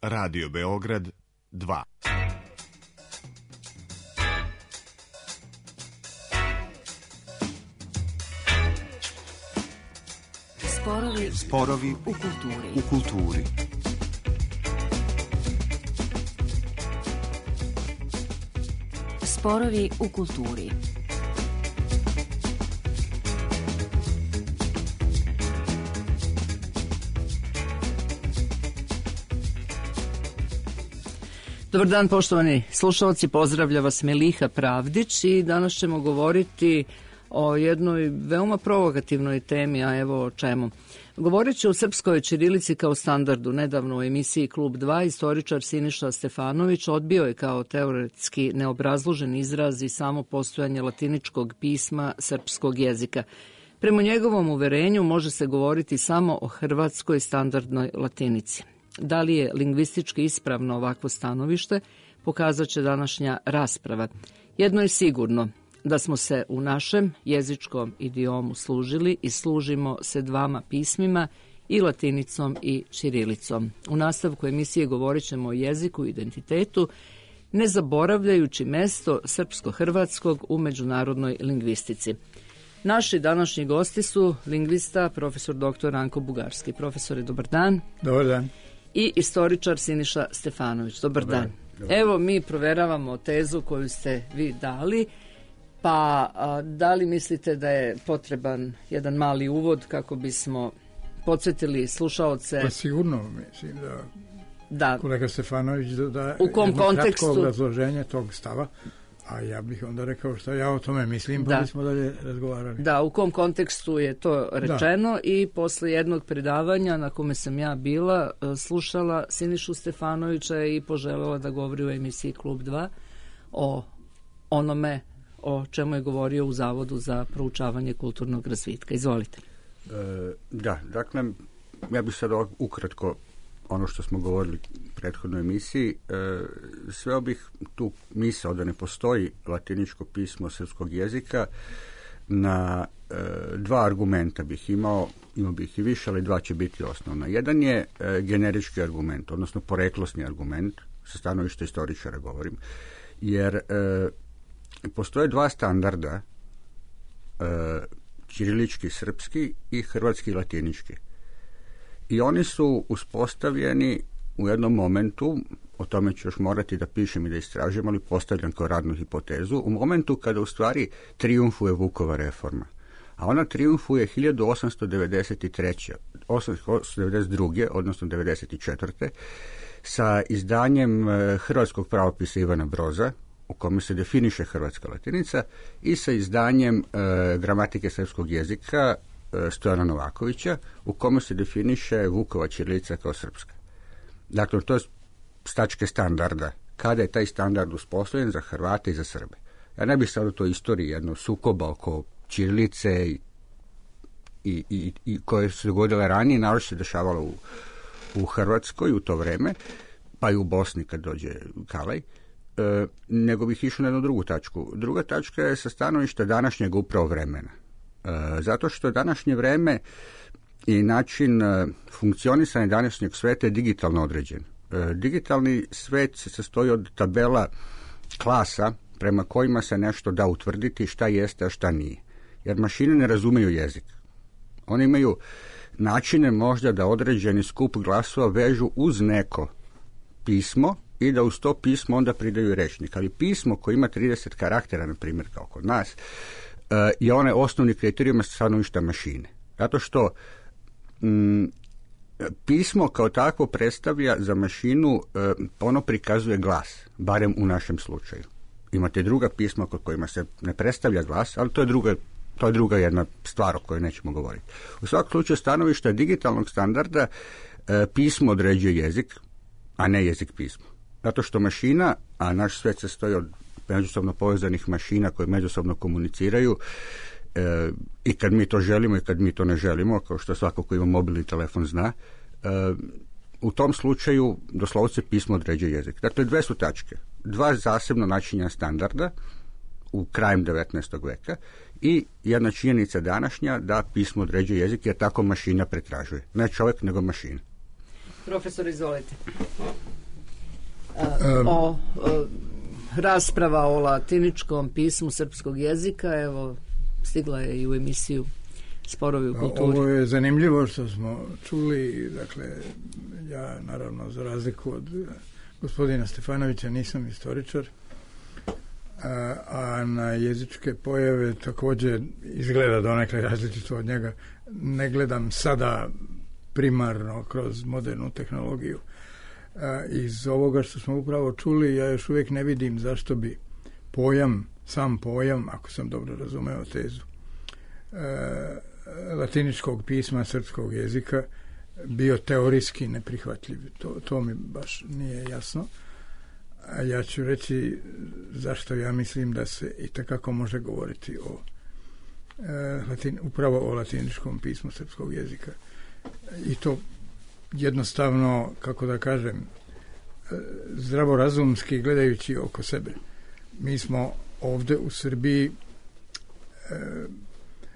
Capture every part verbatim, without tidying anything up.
Radio Beograd dva. Sporovi, Sporovi u kulturi. U kulturi. Sporovi u kulturi. Dobar dan, poštovani slušalci, pozdravlja vas Meliha Pravdić i danas ćemo govoriti o jednoj veoma provokativnoj temi, a evo o čemu. Govorit ću o srpskoj ćirilici kao standardu. Nedavno u emisiji Klub dva istoričar Siniša Stefanović odbio je kao teoretski neobrazložen izraz i samo postojanje latiničkog pisma srpskog jezika. Prema njegovom uverenju može se govoriti samo o hrvatskoj standardnoj latinici. Da li je lingvistički ispravno ovakvo stanovište, pokazat će današnja rasprava. Jedno je sigurno, da smo se u našem jezičkom idiomu služili i služimo se dvama pismima, i latinicom i ćirilicom. U nastavku emisije govorit ćemo o jeziku i identitetu, ne zaboravljajući mesto srpsko-hrvatskog u međunarodnoj lingvistici. Naši današnji gosti su lingvista, profesor doktor Ranko Bugarski. Profesore, dobar dan. Dobar dan. I istoričar Siniša Stefanović. Dobar, dobar dan. Dobar. Evo, mi proveravamo tezu koju ste vi dali, pa a, da li mislite da je potreban jedan mali uvod kako bismo podsjetili slušaoce? Pa sigurno, mislim da, da. kolega Stefanović da u kom kontekstu kratko obrazloženje tog stava, a ja bih onda rekao što ja o tome mislim, pa da. bismo dalje razgovarali. Da, u kom kontekstu je to rečeno da. I posle jednog predavanja na kome sam ja bila, slušala Sinišu Stefanovića i poželjela da govori u emisiji Klub dva o onome o čemu je govorio u Zavodu za proučavanje kulturnog razvitka. Izvolite. E, da, dakle, ja bih sad ukratko ono što smo govorili u prethodnoj emisiji, e, sveo bih tu misao da ne postoji latiničko pismo srpskog jezika na e, dva argumenta bih imao, imao bih i više, ali dva će biti osnovna. Jedan je e, generički argument, odnosno poreklosni argument, sa stanovišta istoričara govorim, jer e, postoje dva standarda, e, ćirilički srpski i hrvatski latinički. I oni su uspostavljeni u jednom momentu, o tome ću još morati da pišem i da istražujem, ali postavljam kao radnu hipotezu, u momentu kada u stvari trijumfuje Vukova reforma. A ona trijumfuje hiljadu osamsto devedeset treće. osamsto devedeset druge. odnosno devedeset četvrte. sa izdanjem hrvatskog pravopisa Ivana Broza, u kome se definiše hrvatska latinica, i sa izdanjem e, gramatike srpskog jezika e, Stojana Novakovića, u kome se definiše Vukova ćirilica kao srpska. Dakle, to je s tačke standarda. Kada je taj standard uspostavljen za Hrvate i za Srbe? Ja ne bih sad u toj istoriji jedno sukoba oko ćirilice i, i, i, i koje se dogodile ranije, naročito se dešavalo u, u Hrvatskoj u to vreme, pa i u Bosni kad dođe Kalaj, E, nego bih išao na jednu drugu tačku. Druga tačka je sa stanovišta današnjeg upravo vremena. E, zato što današnje vreme i način e, funkcionisanja današnjeg sveta je digitalno određen. E, digitalni svet se sastoji od tabela klasa prema kojima se nešto da utvrditi šta jeste, a šta nije. Jer mašine ne razumeju jezik. One imaju načine možda da određeni skup glasova vežu uz neko pismo i da uz to pismo onda pridaju rečnik. Ali pismo koje ima trideset karaktera, na primjer, kao kod nas, je onaj osnovni kriterijum stanovišta mašine. Zato što m, pismo kao takvo predstavlja za mašinu, ono prikazuje glas, barem u našem slučaju. Imate druga pisma kod kojima se ne predstavlja glas, ali to je druga, to je druga jedna stvar o kojoj nećemo govoriti. U svakom slučaju stanovišta digitalnog standarda pismo određuje jezik, a ne jezik pismo. Zato što mašina, a naš svet se stoji od međusobno povezanih mašina koje međusobno komuniciraju, e, i kad mi to želimo i kad mi to ne želimo, kao što svako ko ima mobilni telefon zna, e, u tom slučaju doslovce pismo određuje jezik. Dakle, dve su tačke. Dva zasebno načinja standarda u krajem devetnaestog veka i jedna činjenica današnja da pismo određuje jezik, jer tako mašina pretražuje. Ne čovjek, nego mašina. Profesor, izvolite. um, o, o rasprava o latiničkom pismu srpskog jezika, evo, stigla je i u emisiju Sporovi u kulturi. Ovo je zanimljivo što smo čuli, dakle, ja naravno za razliku od gospodina Stefanovića nisam istoričar, a, a na jezičke pojave također izgleda donekle različito od njega. Ne gledam sada primarno kroz modernu tehnologiju. A, iz ovoga što smo upravo čuli, ja još uvijek ne vidim zašto bi pojam, sam pojam, ako sam dobro razumeo tezu, a, latiničkog pisma srpskog jezika bio teorijski neprihvatljiv. To, to mi baš nije jasno. A ja ću reći zašto ja mislim da se i takako može govoriti o e, latin, upravo o latiničkom pismu srpskog jezika. I to jednostavno, kako da kažem, e, zdravorazumski gledajući oko sebe. Mi smo ovdje u Srbiji e,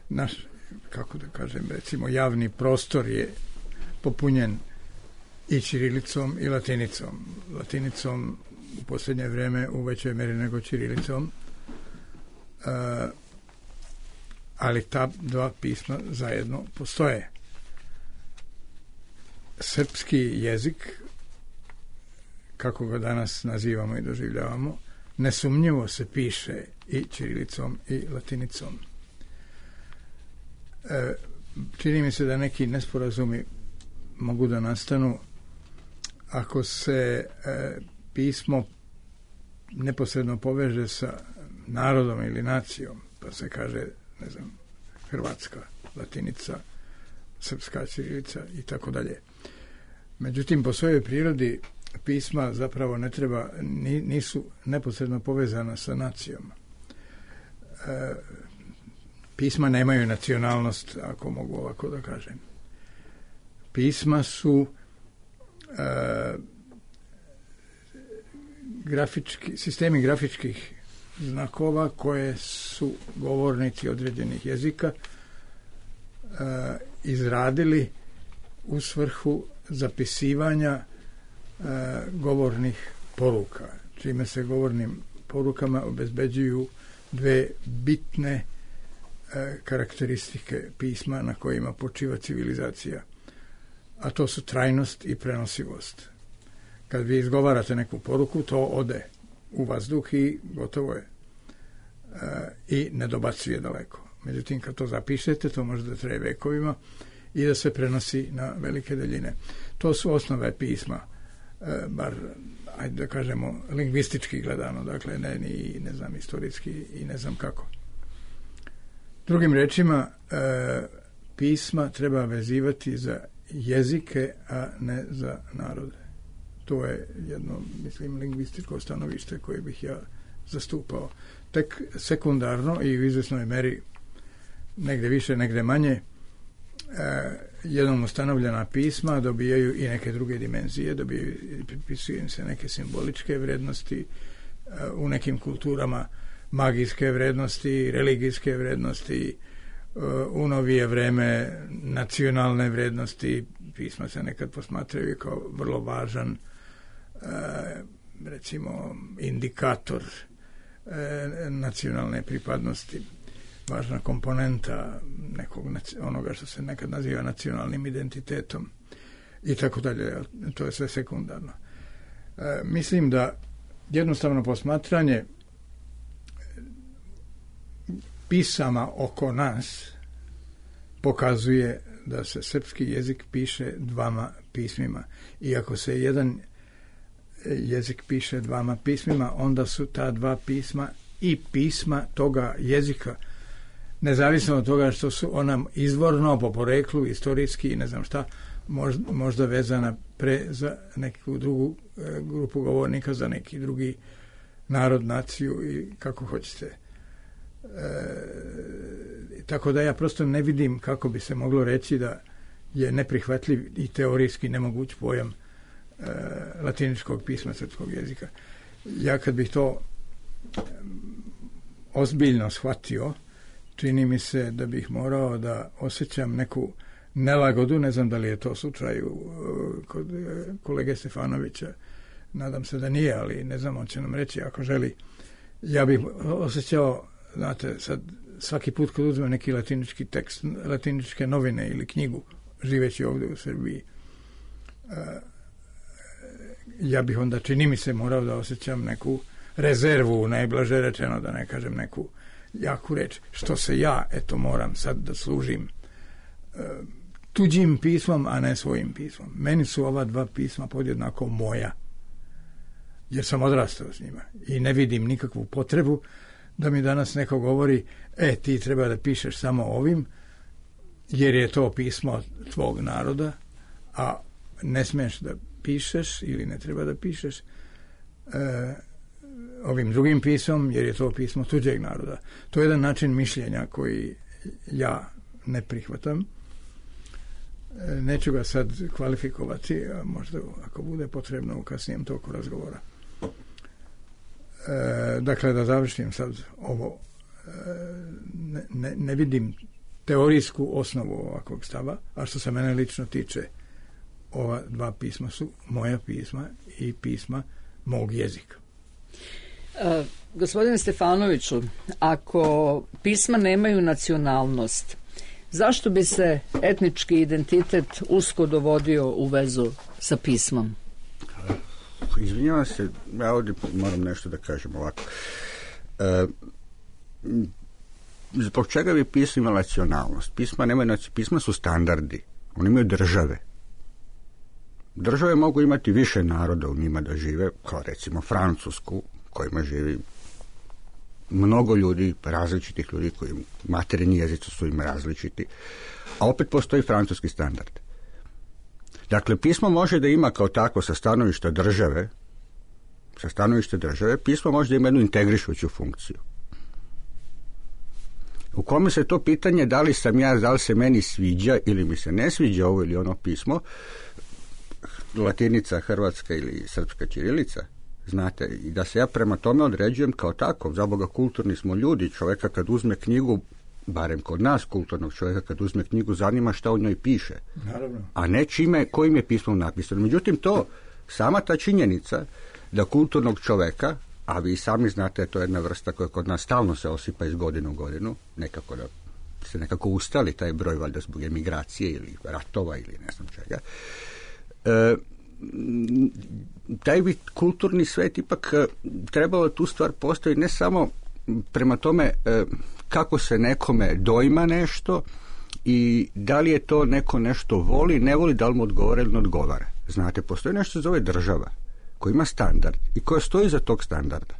naš, kako da kažem, recimo javni prostor je popunjen i ćirilicom i latinicom. Latinicom u posljednje vrijeme u većoj mjeri nego ćirilicom, e, ali ta dva pisma zajedno postoje. Srpski jezik, kako ga danas nazivamo i doživljavamo, nesumnjivo se piše i ćirilicom i latinicom. E, čini mi se da neki nesporazumi mogu da nastanu ako se e, pismo neposredno poveže sa narodom ili nacijom, pa se kaže, ne znam, hrvatska latinica, srpska ćirilica i tako dalje. Međutim, po svojoj prirodi pisma zapravo ne treba, nisu neposredno povezana sa nacijom. E, pisma nemaju nacionalnost, ako mogu ovako da kažem. Pisma su e, grafički, sistemi grafičkih znakova koje su govornici određenih jezika e, izradili u svrhu zapisivanja e, govornih poruka, čime se govornim porukama obezbeđuju dve bitne e, karakteristike pisma na kojima počiva civilizacija, a to su trajnost i prenosivost. Kad vi izgovarate neku poruku, to ode u vazduh i gotovo je. E, I ne dobacuje daleko. Međutim, kad to zapišete, to može da traje vekovima i da se prenosi na velike daljine. To su osnove pisma, e, bar, ajde da kažemo, lingvistički gledano, dakle, ne, ni, ne znam, istorijski i ne znam kako. Drugim rečima, e, pisma treba vezivati za jezike, a ne za narode. To je jedno, mislim, lingvističko stanovište koje bih ja zastupao. Tek sekundarno i u izvesnoj meri negde više, negde manje, e, jednom ustanovljena pisma dobijaju i neke druge dimenzije, dobijaju, pripisuju im se neke simboličke vrednosti, e, u nekim kulturama magijske vrednosti, religijske vrednosti, e, u novije vreme nacionalne vrednosti. Pisma se nekad posmatraju kao vrlo važan, e, recimo, indikator e, nacionalne pripadnosti, važna komponenta nekog, onoga što se nekad naziva nacionalnim identitetom i tako dalje. To je sve sekundarno. E, mislim da jednostavno posmatranje pisama oko nas pokazuje da se srpski jezik piše dvama pismima. I ako se jedan jezik piše dvama pismima, onda su ta dva pisma i pisma toga jezika, nezavisno od toga što su ona izvorno, po poreklu, istorijski i ne znam šta, možda, možda vezana pre za neku drugu e, grupu govornika, za neki drugi narod, naciju i kako hoćete. E, tako da ja prosto ne vidim kako bi se moglo reći da je neprihvatljiv i teorijski nemoguć pojam e, latiničkog pisma srpskog jezika. Ja kad bih to e, ozbiljno shvatio, čini mi se da bih morao da osjećam neku nelagodu, ne znam da li je to slučaj kod kolege Stefanovića, nadam se da nije, ali ne znam, on će nam reći ako želi. Ja bih osjećao, znate, sad svaki put kad uzmem neki latinički tekst, latiničke novine ili knjigu, živeći ovdje u Srbiji, ja bih onda, čini mi se, morao da osjećam neku rezervu, najblaže rečeno, da ne kažem neku jaku reč, što se ja, eto, moram sad da služim tuđim pismom, a ne svojim pismom. Meni su ova dva pisma podjednako moja, jer sam odrastao s njima i ne vidim nikakvu potrebu da mi danas neko govori, e, ti treba da pišeš samo ovim, jer je to pismo tvog naroda, a ne smiješ da pišeš ili ne treba da pišeš e, ovim drugim pismom, jer je to pismo tuđeg naroda. To je jedan način mišljenja koji ja ne prihvatam. E, neću ga sad kvalifikovati, a možda ako bude potrebno u kasnijem toku razgovora. E, dakle, da završim sad ovo. E, ne, ne, ne vidim teorijsku osnovu ovakvog stava, a što se mene lično tiče, ova dva pisma su moja pisma i pisma mog jezika. E, gospodine Stefanoviću, ako pisma nemaju nacionalnost, zašto bi se etnički identitet usko dovodio u vezu sa pismom? Izvinjavam se, ja ovdje moram nešto da kažem ovako. E, zbog čega bi pisma imala nacionalnost? Pisma, nemaju, pisma su standardi, oni imaju države. Države mogu imati više naroda u njima da žive, kao recimo Francusku, kojima živi mnogo ljudi, različitih ljudi koji materinji jezici su im različiti, a opet postoji francuski standard. Dakle, pismo može da ima kao takvo sa stanovišta države, sa stanovišta države, pismo može da ima jednu integrišuću funkciju. U kome se to pitanje da li sam ja, da li se meni sviđa ili mi se ne sviđa ovo ili ono pismo, latinica, hrvatska ili srpska ćirilica, znate, i da se ja prema tome određujem kao tako, za Boga kulturni smo ljudi, čovjeka kad uzme knjigu, barem kod nas kulturnog čovjeka kad uzme knjigu, zanima šta u njoj piše. Naravno. A ne čime, kojim je pismom napisano. Međutim, to, sama ta činjenica da kulturnog čovjeka, a vi sami znate, to je jedna vrsta koja kod nas stalno se osipa iz godine u godinu, nekako da se nekako ustali taj broj, valjda zbog emigracije ili ratova ili ne znam čega. E, taj bi kulturni svet ipak trebalo tu stvar postaviti ne samo prema tome e, kako se nekome dojma nešto i da li je to neko nešto voli, ne voli, da li mu odgovara ili ne odgovara. Znate, postoji nešto zove država koja ima standard i koja stoji za tog standarda.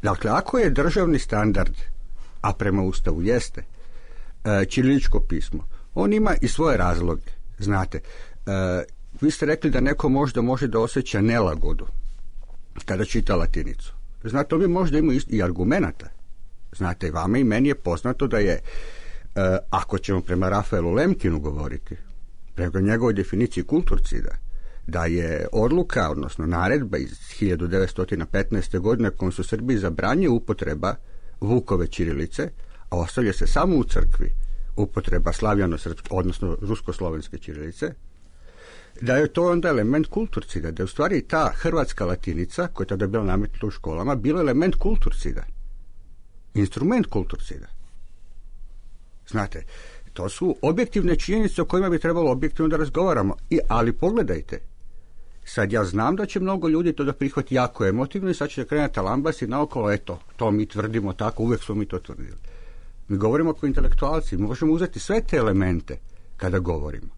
Dakle, ako je državni standard, a prema Ustavu jeste, e, ćiriličko pismo, on ima i svoje razloge. Znate, e, vi ste rekli da neko možda može da osjeća nelagodu kada čita latinicu. Znate, ovi možda imaju i argumenata. Znate, vama i meni je poznato da je, e, ako ćemo prema Rafaelu Lemkinu govoriti, prema njegovoj definiciji kulturcida, da je odluka, odnosno naredba iz hiljadu devetsto petnaeste. godine kojom su Srbiji zabranjuje upotreba Vukove ćirilice, a ostavlja se samo u crkvi upotreba slavjano-srpske, odnosno rusko-slovenske ćirilice, da je to onda element kulturcida, da je u stvari ta hrvatska latinica, koja je tada bila nametnuta u školama, bila element kulturcida. Instrument kulturcida. Znate, to su objektivne činjenice o kojima bi trebalo objektivno da razgovaramo. I, ali pogledajte, sad ja znam da će mnogo ljudi to da prihvati jako emotivno i sad će da krenuti talambas i naokolo, eto, to mi tvrdimo tako, uvijek smo mi to tvrdili. Mi govorimo kao intelektualci, mi možemo uzeti sve te elemente kada govorimo.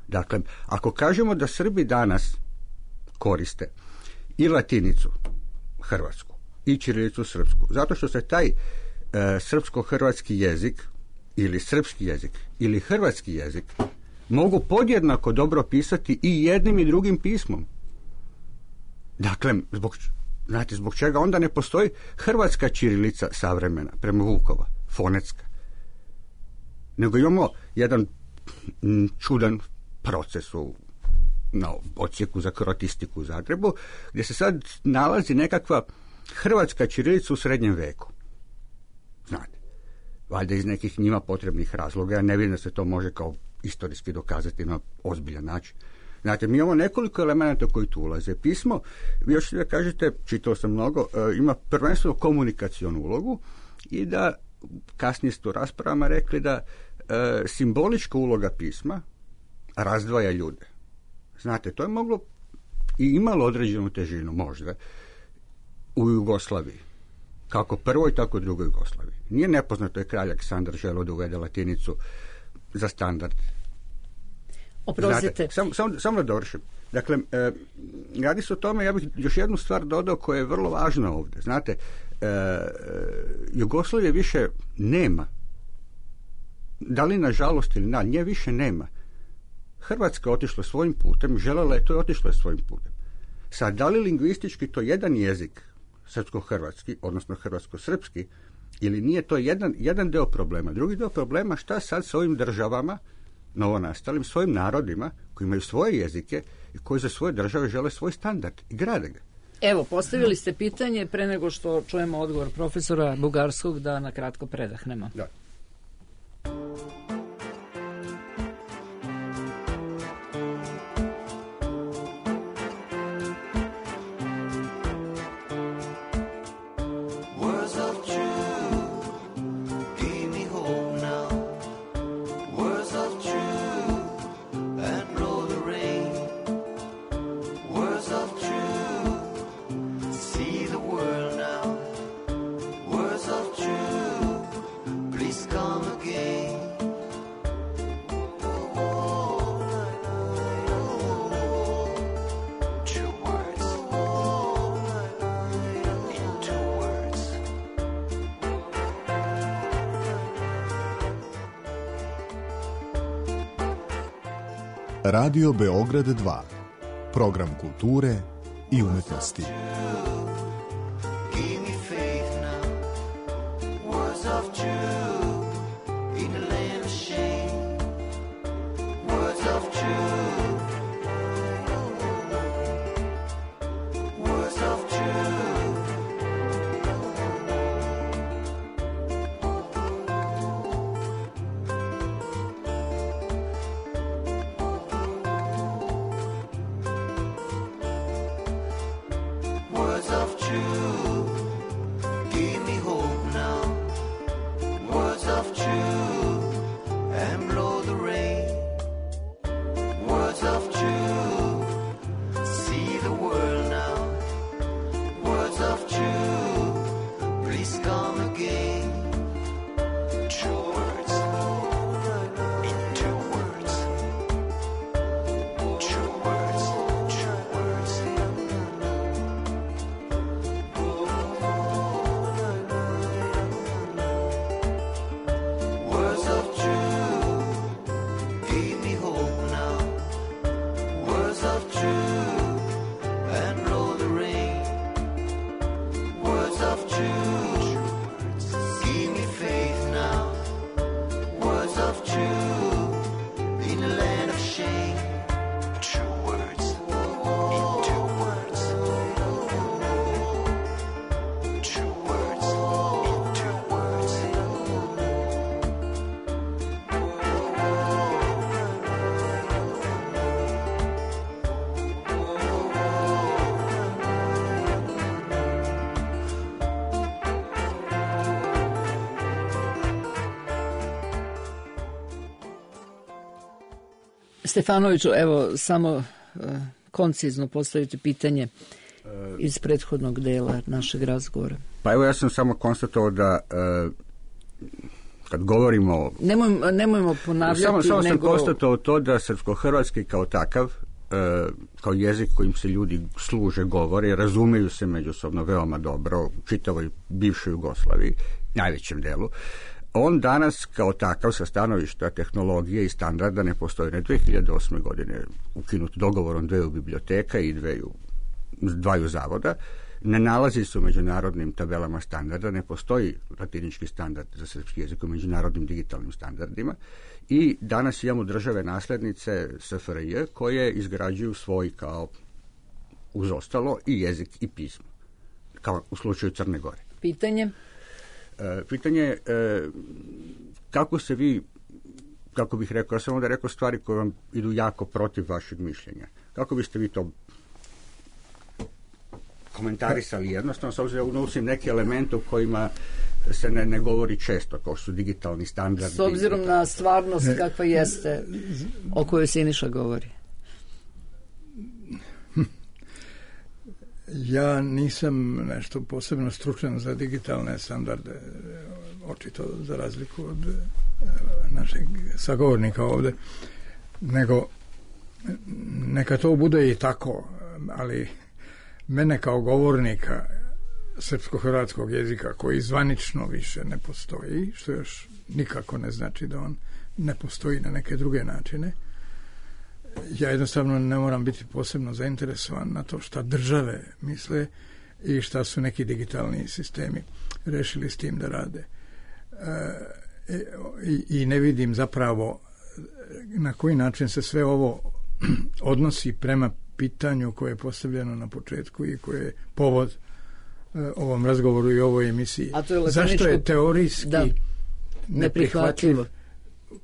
Dakle, ako kažemo da Srbi danas koriste i latinicu hrvatsku i ćirilicu srpsku, zato što se taj e, srpsko-hrvatski jezik ili srpski jezik ili hrvatski jezik mogu podjednako dobro pisati i jednim i drugim pismom. Dakle, zbog, znate, zbog čega onda ne postoji hrvatska ćirilica savremena prema Vukova, fonetska, nego imamo jedan m, čudan proces u na odsjeku za kroatistiku u Zagrebu, gdje se sad nalazi nekakva hrvatska ćirilica u srednjem veku. Znate, valjda iz nekih njima potrebnih razloga, ja ne vidim da se to može kao istorijski dokazati na ozbiljan način. Znate, mi imamo nekoliko elemenata koji tu ulaze. Pismo, vi još da kažete, čitao sam mnogo, ima prvenstveno komunikacionu ulogu i da, kasnije ste u raspravama rekli da e, simbolička uloga pisma razdvaja ljude. Znate, to je moglo i imalo određenu težinu možda u Jugoslaviji. Kako prvoj, tako drugoj Jugoslaviji. Nije nepoznato je kralj Aleksandar želeo da uvede latinicu za standard. Oprostite. Samo sam, sam da dovršim. Dakle, e, radi se o tome, ja bih još jednu stvar dodao koja je vrlo važna ovdje. Znate, e, e, Jugoslavije više nema. Da li nažalost ili na, nje više nema. Hrvatska je otišla svojim putem, želela je to i otišla je svojim putem. Sad, da li lingvistički to jedan jezik, srpsko-hrvatski, odnosno hrvatsko-srpski, ili nije, to jedan, jedan deo problema. Drugi deo problema, šta sad sa ovim državama, novonastalim, svojim narodima, koji imaju svoje jezike i koji za svoje države žele svoj standard i grade ga. Evo, postavili ste pitanje pre nego što čujemo odgovor profesora Bugarskog, da na kratko predahnemo. Da. Radio Beograd dva. Program kulture i umetnosti. Stefanoviću, evo samo uh, koncizno postaviti pitanje iz prethodnog dela našeg razgovora. Pa evo, ja sam samo konstatovao da uh, kad govorimo... Nemoj, nemojmo ponavljati, samo, samo nego... sam konstatovao to da srpsko-hrvatski kao takav, uh, kao jezik kojim se ljudi služe, govore, razumeju se međusobno veoma dobro u čitavoj bivšoj Jugoslaviji, najvećem delu. On danas kao takav sa stanovišta tehnologije i standarda ne postoji. Na dve hiljade osme. godine ukinut dogovorom dveju biblioteka i dveju, dvaju zavoda. Ne nalazi se u međunarodnim tabelama standarda, ne postoji latinički standard za srpski jezik u međunarodnim digitalnim standardima i danas imamo države naslednice S F R J koje izgrađuju svoj kao uz ostalo i jezik i pismo, kao u slučaju Crne Gore. Pitanje? E, pitanje je e, kako se vi kako bih rekao, ja sam onda rekao stvari koje vam idu jako protiv vašeg mišljenja. Kako biste vi to komentarisali jednostavno, s obzirom da unosim neki element u kojima se ne, ne govori često, kao su digitalni standardi. S obzirom na stvarnost kakva jeste, o kojoj Siniša govori. Ja nisam nešto posebno stručan za digitalne standarde, očito za razliku od našeg sagovornika ovde, nego neka to bude i tako, ali mene kao govornika srpsko-hrvatskog jezika koji zvanično više ne postoji, što još nikako ne znači da on ne postoji na neke druge načine, ja jednostavno ne moram biti posebno zainteresovan na to šta države misle i šta su neki digitalni sistemi rešili s tim da rade. E, i, i ne vidim zapravo na koji način se sve ovo odnosi prema pitanju koje je postavljeno na početku i koje je povod e, ovom razgovoru i ovoj emisiji. A to je zašto je teorijski da, neprihvatljiv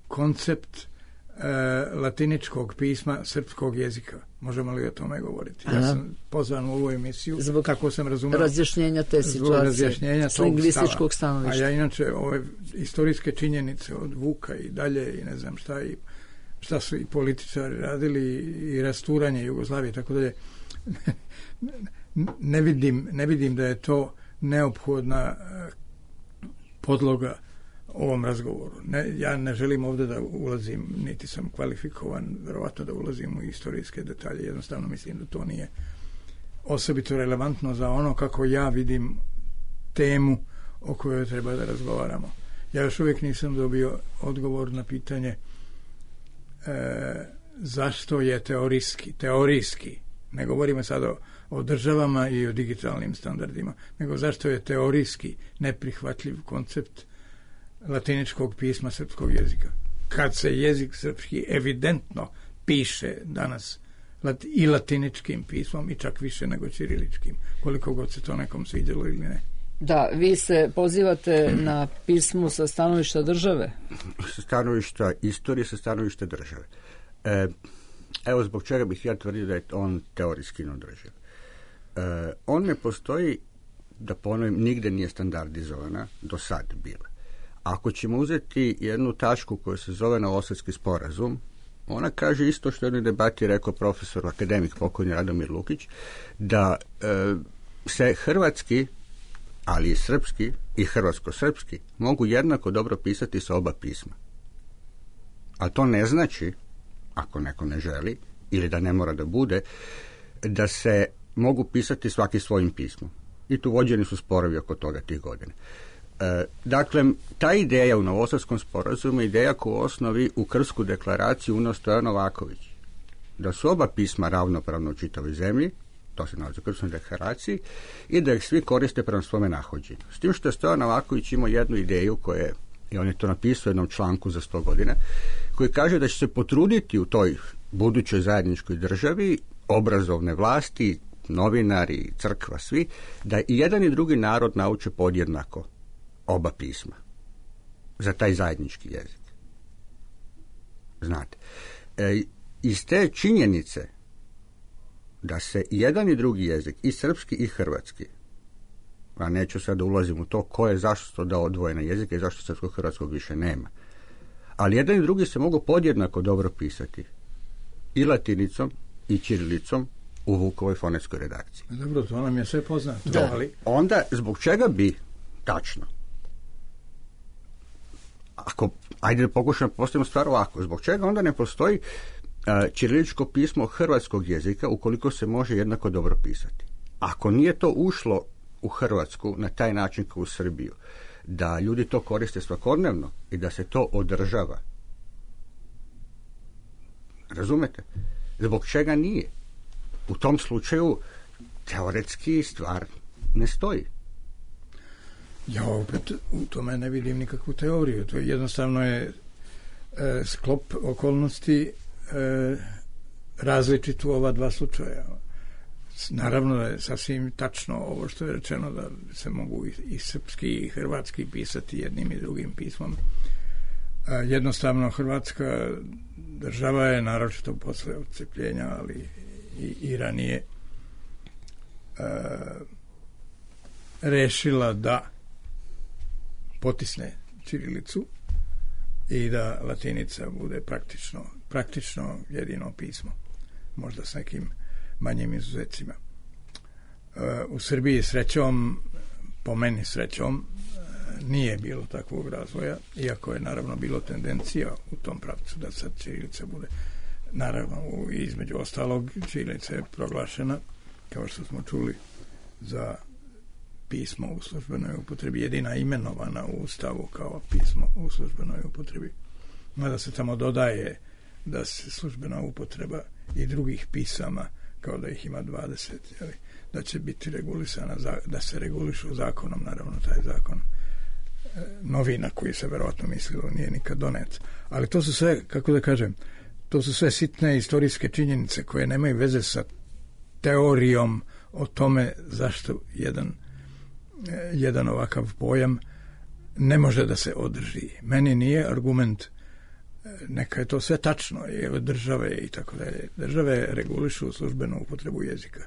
koncept e, latiničkog pisma srpskog jezika? Možemo li o tome govoriti? Ja sam pozvan u ovu emisiju, zbog tako sam razumio, razjašnjenja te situacije, razjašnjenja s lingvističkog stanovišta. A ja inače ove istorijske činjenice od Vuka i dalje i ne znam šta i šta su i političari radili i rasturanje Jugoslavije i tako dalje, ne vidim, ne vidim da je to neophodna podloga ovom razgovoru. Ne, ja ne želim ovdje da ulazim, niti sam kvalifikovan verovatno da ulazim u istorijske detalje, jednostavno mislim da to nije osobito relevantno za ono kako ja vidim temu o kojoj treba da razgovaramo. Ja još uvijek nisam dobio odgovor na pitanje e, zašto je teorijski, teorijski, ne govorimo sad o, o državama i o digitalnim standardima, nego zašto je teorijski neprihvatljiv koncept latiničkog pisma srpskog jezika. Kad se jezik srpski evidentno piše danas i latiničkim pismom i čak više nego ćiriličkim, koliko god se to nekom sviđalo ili ne. Da, vi se pozivate na pismo sa stanovišta države? Sa stanovišta istorije, sa stanovišta države. E, evo zbog čega bih ja tvrdio da je on teorijski neodrživ. E, on ne postoji, da ponovim, nigde nije standardizovana do sad bila. Ako ćemo uzeti jednu tačku koja se zove Novosadski sporazum, ona kaže isto što je u jednoj debati rekao profesor akademik pokojni Radomir Lukić, da e, se hrvatski, ali i srpski i hrvatsko-srpski mogu jednako dobro pisati sa oba pisma. A to ne znači, ako neko ne želi, ili da ne mora da bude, da se mogu pisati svaki svojim pismom. I tu vođeni su sporovi oko toga tih godina. E, dakle, ta ideja u Novosadskom sporazumu je ideja koju u osnovi u Krsku deklaraciju uneo Stojan Novaković. Da su oba pisma ravnopravno u čitavoj zemlji, to se nalazi u Krskoj deklaraciji, i da ih svi koriste prema svome nahođenju. S tim što je Stojan Novaković imao jednu ideju koja je, i on je to napisao u jednom članku za sto godina, koji kaže da će se potruditi u toj budućoj zajedničkoj državi obrazovne vlasti, novinari, crkva, svi, da i jedan i drugi narod nauče podjednako oba pisma za taj zajednički jezik. Znate, e, iz te činjenice da se jedan i drugi jezik, i srpski i hrvatski, a neću sad da ulazim u to ko je zašto to dao odvojene jezike i zašto srpskog hrvatskog više nema, ali jedan i drugi se mogu podjednako dobro pisati i latinicom i ćirilicom u Vukovoj fonetskoj redakciji. Dobro, to nam je sve poznato. Da. Ali onda, zbog čega bi tačno? Ako, ajde da pokušamo postavimo stvar ovako, zbog čega onda ne postoji uh, ćiriličko pismo hrvatskog jezika ukoliko se može jednako dobro pisati? Ako nije to ušlo u Hrvatsku na taj način kao u Srbiju, da ljudi to koriste svakodnevno i da se to održava, razumete? Zbog čega nije? U tom slučaju teoretski stvar ne stoji. Ja opet u tome ne vidim nikakvu teoriju. To je jednostavno je e, sklop okolnosti e, različit u ova dva slučaja. Naravno je sasvim tačno ovo što je rečeno da se mogu i, i srpski i hrvatski pisati jednim i drugim pismom. Jednostavno, Hrvatska država je, naročito posle odcepljenja, ali i, i ranije, e, rešila da potisne ćirilicu i da latinica bude praktično, praktično jedino pismo, možda s nekim manjim izuzecima. E, u Srbiji srećom, po meni srećom, nije bilo takvog razvoja, iako je naravno bilo tendencija u tom pravcu da sad ćirilica bude, naravno između ostalog ćirilica je proglašena, kao što smo čuli, za pismo u službenoj upotrebi, jedina imenovana u Ustavu kao pismo u službenoj upotrebi. Mada se tamo dodaje da se službena upotreba i drugih pisama, kao da ih ima dvadeset, jeli, da će biti regulisana, da se regulišu zakonom, naravno taj zakon novina koji se verovatno mislilo nije nikad donet. Ali to su sve, kako da kažem, to su sve sitne istorijske činjenice koje nemaju veze sa teorijom o tome zašto jedan, jedan ovakav pojam ne može da se održi. Meni nije argument, neka je to sve tačno, je države i tako dalje. Države regulišu službenu upotrebu jezika.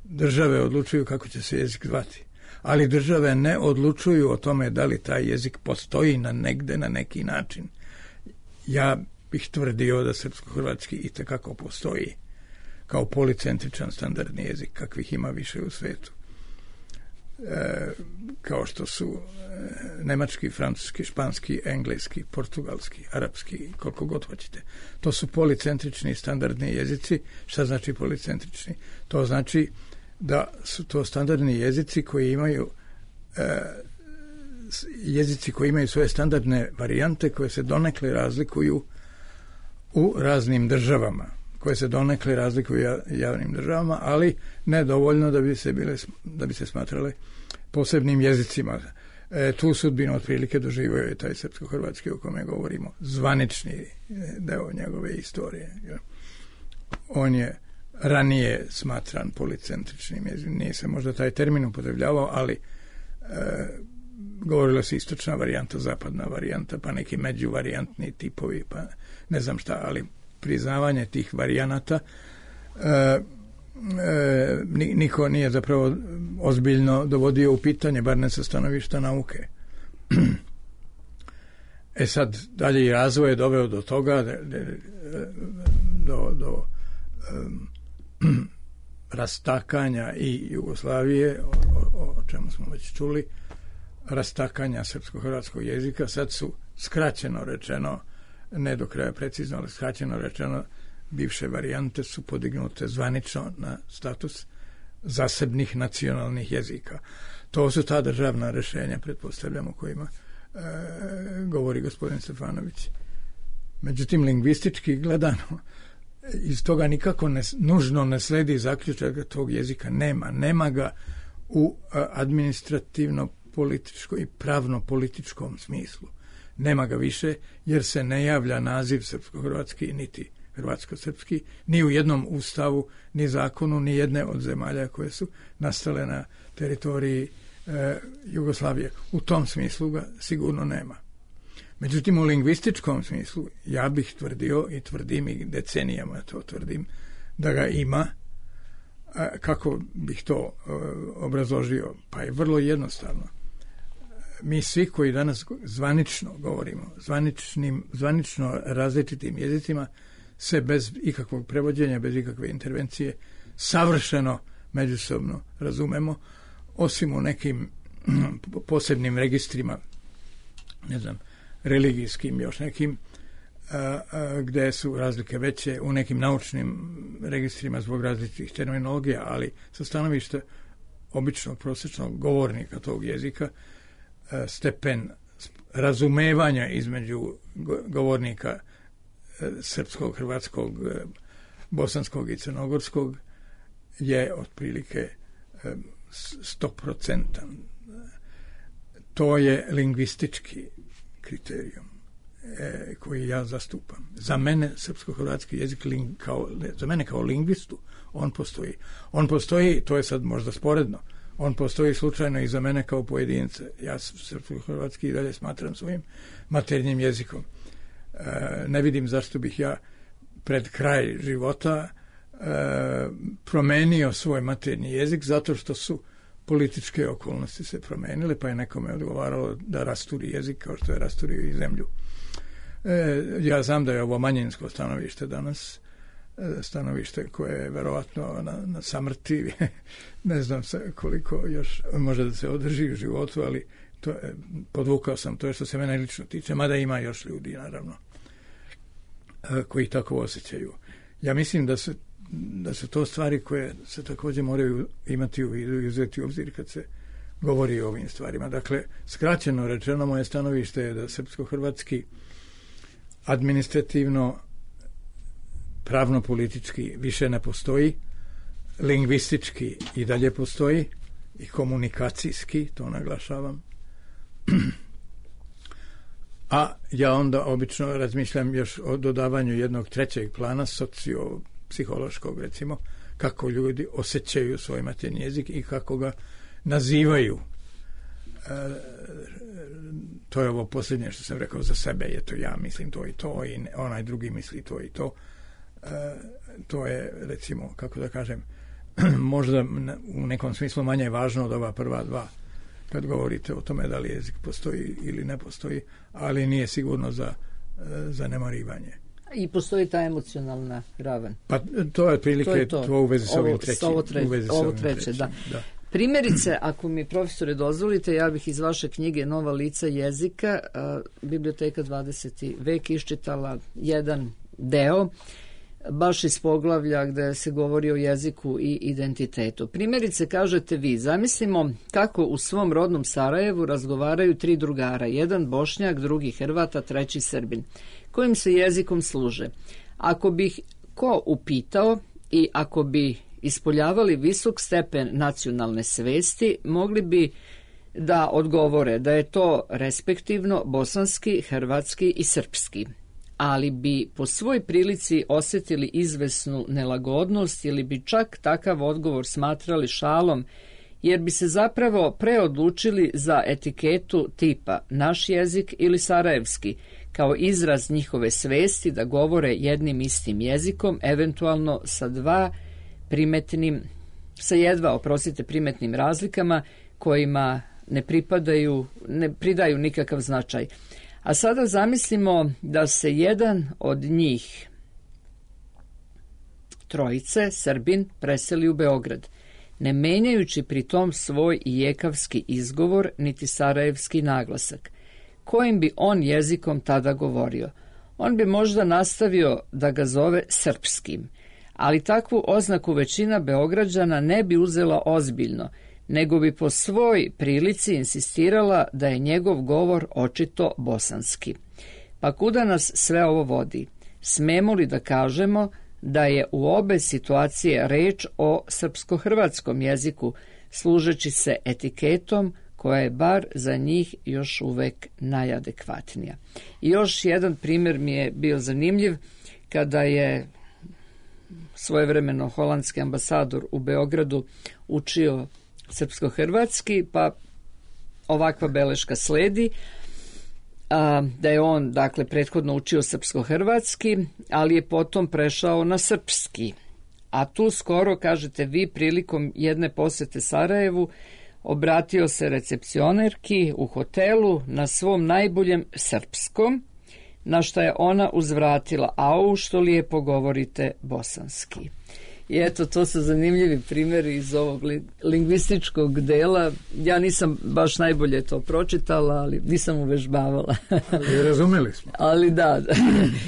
Države odlučuju kako će se jezik zvati. Ali države ne odlučuju o tome da li taj jezik postoji na negde, na neki način. Ja bih tvrdio da srpsko-hrvatski i tekako postoji kao policentričan standardni jezik, kakvih ima više u svetu. E, kao što su e, nemački, francuski, španski, engleski, portugalski, arapski, koliko god hoćete. To su policentrični standardni jezici. Šta znači policentrični? To znači da su to standardni jezici koji imaju e, jezici koji imaju svoje standardne varijante koje se donekle razlikuju u raznim državama, koje se donekle razlikuju u javnim državama, ali ne dovoljno da bi se bile, da bi se smatrale posebnim jezicima. E, tu sudbinu otprilike doživio je taj srpsko-hrvatski o kome govorimo, zvanični deo njegove istorije. On je ranije smatran policentričnim jezikom. Nije se možda taj termin upotrebljavao, ali e, govorila se istočna varijanta, zapadna varijanta, pa neki međuvarijantni tipovi, pa ne znam šta, ali priznavanje tih varijanata e, e, niko nije zapravo ozbiljno dovodio u pitanje, bar ne sa stanovišta nauke. E sad, dalje i razvoj je doveo do toga, de, de, do, do um, rastakanja i Jugoslavije, o, o, o čemu smo već čuli, rastakanja srpsko-hrvatskog jezika. Sad su skraćeno rečeno, ne do kraja precizno, ali skraćeno rečeno, bivše varijante su podignute zvanično na status zasebnih nacionalnih jezika. To su ta državna rešenja, pretpostavljamo, kojima e, govori gospodin Stefanović. Međutim, lingvistički gledano, iz toga nikako ne, nužno ne sledi zaključak da tog jezika nema. Nema ga u administrativno-političkom i pravno-političkom smislu. Nema ga više jer se ne javlja naziv srpsko-hrvatski niti hrvatsko-srpski ni u jednom ustavu, ni zakonu, ni jedne od zemalja koje su nastale na teritoriji e, Jugoslavije. U tom smislu ga sigurno nema. Međutim, u lingvističkom smislu ja bih tvrdio i tvrdim i decenijama to tvrdim da ga ima. A kako bih to e, obrazložio? Pa je vrlo jednostavno. Mi svi koji danas zvanično govorimo, zvaničnim, zvanično različitim jezicima, se bez ikakvog prevođenja, bez ikakve intervencije, savršeno međusobno razumemo, osim u nekim posebnim registrima, ne znam, religijskim, još nekim, a, a, gde su razlike veće, u nekim naučnim registrima zbog različitih terminologija, ali sa stanovišta običnog prosječnog govornika tog jezika, a, stepen razumevanja između govornika srpskog, hrvatskog, bosanskog i crnogorskog je otprilike stoprocentan. To je lingvistički kriterijum e, koji ja zastupam. Za mene srpsko-hrvatski jezik ling, kao, za mene kao lingvistu on postoji. On postoji, to je sad možda sporedno, on postoji slučajno i za mene kao pojedinca. Ja srpsko-hrvatski i dalje smatram svojim maternjim jezikom. ne vidim zašto bih ja pred kraj života promenio svoj maternji jezik, zato što su političke okolnosti se promenile, pa je nekome odgovaralo da rasturi jezik kao što je rasturio i zemlju. Ja znam da je ovo manjinsko stanovište danas, stanovište koje je verovatno na, na samrti, ne znam koliko još može da se održi u životu, ali to je, podvukao sam, to je što se mene lično tiče, mada ima još ljudi, naravno, koji tako osjećaju. Ja mislim da se da su to stvari koje se također moraju imati u vidu i uzeti u obzir kad se govori o ovim stvarima. Dakle, skraćeno rečeno, moje stanovište je da srpsko-hrvatski administrativno, pravno-politički više ne postoji, lingvistički i dalje postoji i komunikacijski, to naglašavam. A ja onda obično razmišljam još o dodavanju jednog trećeg plana, socio-psihološkog, recimo, kako ljudi osjećaju svoj maternji jezik i kako ga nazivaju. E, to je ovo posljednje što sam rekao za sebe, je to ja mislim to i to i onaj drugi misli to i to. E, to je, recimo, kako da kažem, možda u nekom smislu manje važno od ova prva dva kad govorite o tome da li jezik postoji ili ne postoji, ali nije sigurno za zanemarivanje. I postoji ta emocionalna ravan. Pa to je otprilike to, je to. to u vezi s ovim trećim. Ovo, tre, ovo treće, da. da. Primjerice, ako mi profesore dozvolite, ja bih iz vaše knjige Nova lica jezika, a, Biblioteka dvadeseti vek, iščitala jedan deo, baš iz poglavlja gde se govori o jeziku i identitetu. Primjerice, kažete vi, zamislimo kako u svom rodnom Sarajevu razgovaraju tri drugara, jedan Bošnjak, drugi Hrvat, a treći Srbin. Kojim se jezikom služe? Ako bih ko upitao i ako bi ispoljavali visok stepen nacionalne svesti, mogli bi da odgovore da je to respektivno bosanski, hrvatski i srpski. Ali bi po svoj prilici osjetili izvesnu nelagodnost ili bi čak takav odgovor smatrali šalom, jer bi se zapravo preodlučili za etiketu tipa naš jezik ili sarajevski, kao izraz njihove svesti da govore jednim istim jezikom, eventualno sa dva primetnim, sa jedva, oprostite, primetnim razlikama kojima ne pripadaju, ne pridaju nikakav značaj. A sada zamislimo da se jedan od njih, trojice, Srbin, preseli u Beograd, ne menjajući pri tom svoj ijekavski izgovor niti sarajevski naglasak. Kojim bi on jezikom tada govorio? On bi možda nastavio da ga zove srpskim, ali takvu oznaku većina Beograđana ne bi uzela ozbiljno, nego bi po svoj prilici insistirala da je njegov govor očito bosanski. Pa kuda nas sve ovo vodi? Smemo li da kažemo da je u obe situacije reč o srpsko-hrvatskom jeziku, služeći se etiketom koja je bar za njih još uvek najadekvatnija? I još jedan primjer mi je bio zanimljiv, kada je svojevremeno holandski ambasador u Beogradu učio srpsko-hrvatski, pa ovakva beleška sledi, a, da je on, dakle, prethodno učio srpsko-hrvatski, ali je potom prešao na srpski. A tu skoro, kažete vi, prilikom jedne posete Sarajevu, obratio se recepcionerki u hotelu na svom najboljem srpskom, na što je ona uzvratila, au, što lijepo govorite bosanski. I eto, to su zanimljivi primjeri iz ovog lingvističkog dela. Ja nisam baš najbolje to pročitala, ali nisam uvežbavala. Ali razumeli smo. Ali da,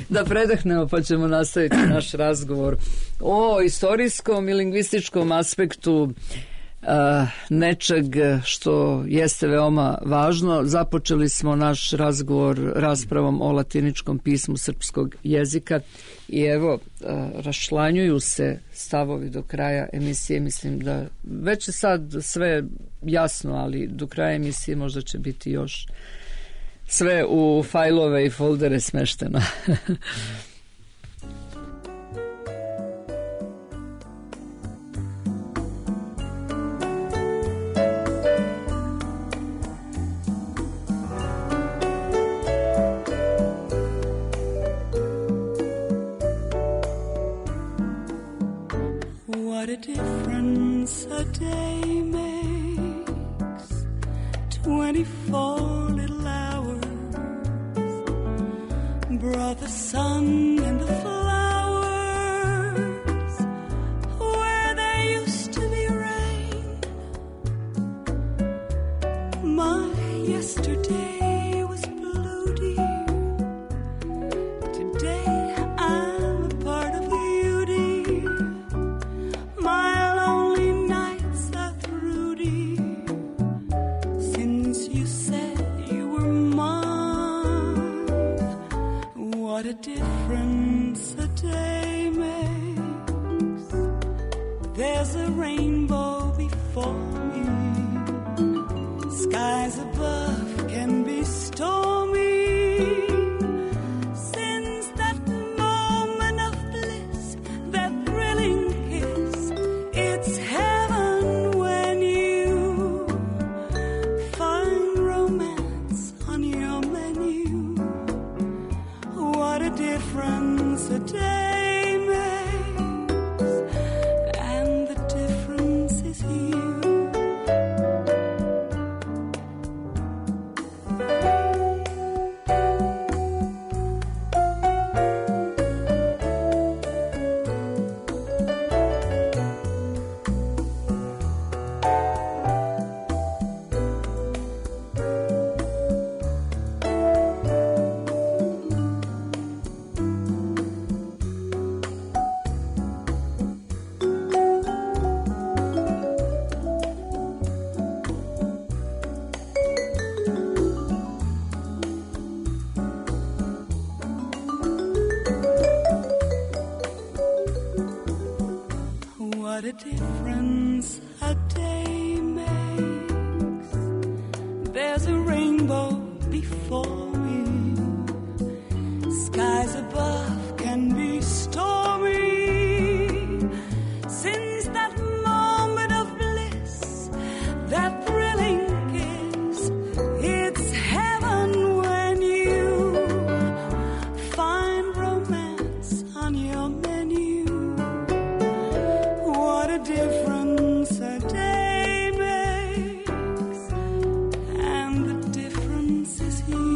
da predahnemo pa ćemo nastaviti naš razgovor o istorijskom i lingvističkom aspektu Uh, nečeg što jeste veoma važno. Započeli smo naš razgovor raspravom o latiničkom pismu srpskog jezika i evo, uh, raščlanjuju se stavovi do kraja emisije. Mislim da već je sad sve jasno, ali do kraja emisije možda će biti još sve u fajlove i foldere smešteno. twenty-four little hours brought the sun and the flowers where there used to be rain. My yesterday was blue, dear. Today I'm a part of you, dear. My lonely nights are through, dear. Since you said you were mine, what a difference a day makes. There's a rainbow before me. Skies above can be stormy. Since that moment of bliss, that thrilling kiss, it's heaven when you find romance on your menu. What a difference a day makes, and the difference is you. What a difference a day makes. There's a rainbow before me. Skies above can be stormy. Since that moment of bliss, that thrilling kiss, it's heaven when you find romance on your menu. What a difference a day makes, and the difference is you.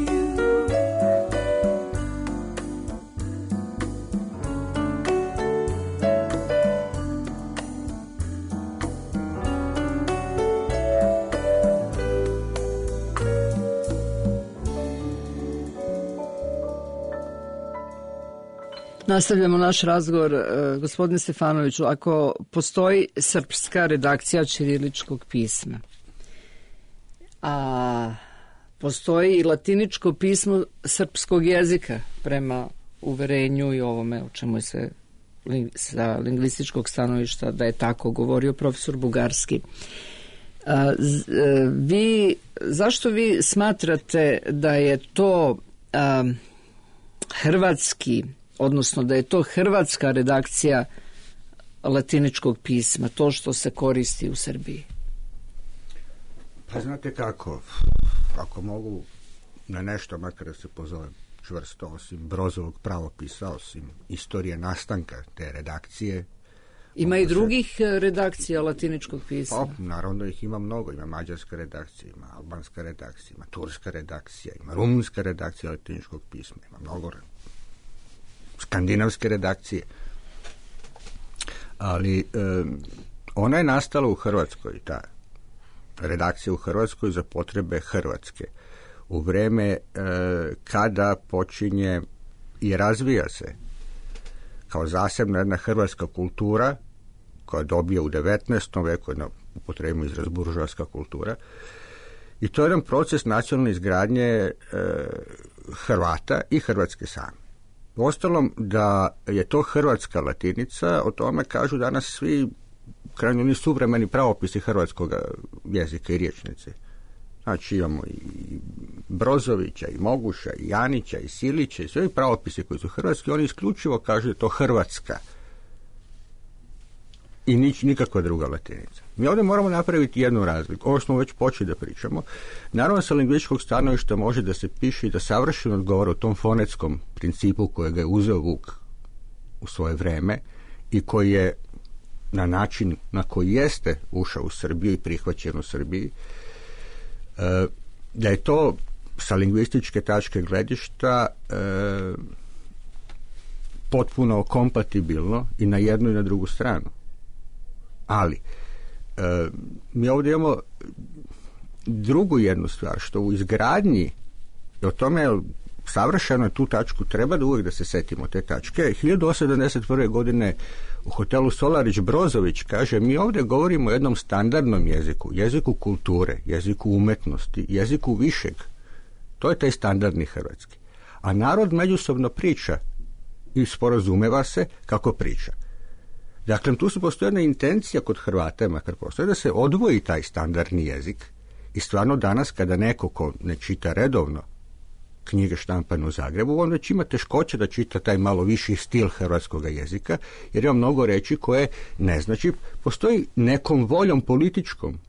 Nastavljamo naš razgovor. E, gospodine Stefanoviću, ako postoji srpska redakcija ćiriličkog pisma, a postoji i latiničko pismo srpskog jezika prema uverenju i ovome o čemu je se sa lingvističkog stanovišta da je tako govorio profesor Bugarski. A, z, e, vi, zašto vi smatrate da je to a, hrvatski, odnosno da je to hrvatska redakcija latiničkog pisma, to što se koristi u Srbiji? Pa znate kako, ako mogu na nešto makar da se pozovem čvrsto, osim Brozovog pravopisa, osim istorije nastanka te redakcije. Ima i drugih se... redakcija latiničkog pisma? Pa, naravno ih ima mnogo. Ima mađarska redakcija, ima albanska redakcija, ima turska redakcija, ima rumunska redakcija latiničkog pisma, ima mnogo skandinavske redakcije. Ali e, ona je nastala u Hrvatskoj, ta redakcija u Hrvatskoj za potrebe Hrvatske. U vreme e, kada počinje i razvija se kao zasebna jedna hrvatska kultura koja dobije u devetnaestom veku, jedna upotrebimo izraz buržoaska kultura, i to je jedan proces nacionalne izgradnje e, Hrvata i Hrvatske same. Uostalom, da je to hrvatska latinica, o tome kažu danas svi krajnje ni suvremeni pravopisi hrvatskog jezika i riječnice. Znači imamo i Brozovića, i Moguša, i Janića, i Silića, i sve pravopisi koji su hrvatski, oni isključivo kažu da je to hrvatska i nič, nikakva druga latinica. Mi ovdje moramo napraviti jednu razliku. Ovo smo već počeli da pričamo. Naravno, sa lingvističkog stanovišta može da se piše i da savršeno odgovara o tom fonetskom principu kojega je uzeo Vuk u svoje vreme i koji je na način na koji jeste ušao u Srbiju i prihvaćen u Srbiji. E, da je to sa lingvističke tačke gledišta e, potpuno kompatibilno i na jednu i na drugu stranu. Ali e, mi ovdje imamo drugu jednu stvar, što u izgradnji, i o tome savršeno tu tačku treba da uvijek da se setimo te tačke. hiljadu osamsto sedamdeset prve. godine u hotelu Solarić Brozović kaže, mi ovdje govorimo o jednom standardnom jeziku, jeziku kulture, jeziku umetnosti, jeziku višeg. To je taj standardni hrvatski. A narod međusobno priča i sporazumeva se kako priča. Dakle, tu su postoji jedna intencija kod Hrvata, makar postoji, da se odvoji taj standardni jezik i stvarno danas kada neko ko ne čita redovno knjige štampane u Zagrebu, on već ima teškoće da čita taj malo viši stil hrvatskog jezika, jer ima mnogo reči koje ne znači, postoji nekom voljom političkom,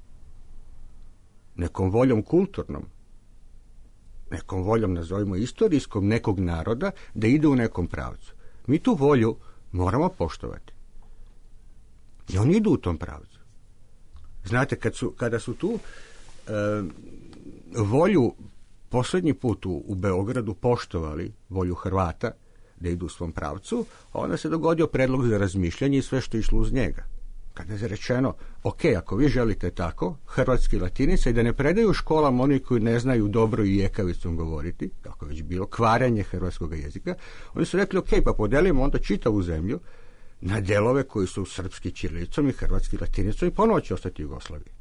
nekom voljom kulturnom, nekom voljom, nazovimo istorijskom, nekog naroda da ide u nekom pravcu. Mi tu volju moramo poštovati. I oni idu u tom pravcu. Znate, kad su, kada su tu e, volju posljednji put u, u Beogradu poštovali volju Hrvata da idu u svom pravcu, onda se dogodio predlog za razmišljanje i sve što je išlo uz njega. Kada je rečeno, ok, ako vi želite tako, hrvatski latinica, i da ne predaju u školama oni koji ne znaju dobro i jekavicom govoriti, kako je već bilo, kvaranje hrvatskog jezika, oni su rekli, ok, pa podelimo onda čitavu zemlju na delove koji su srpski ćirilicom i hrvatski latinicom i ponovo će ostati Jugoslavije.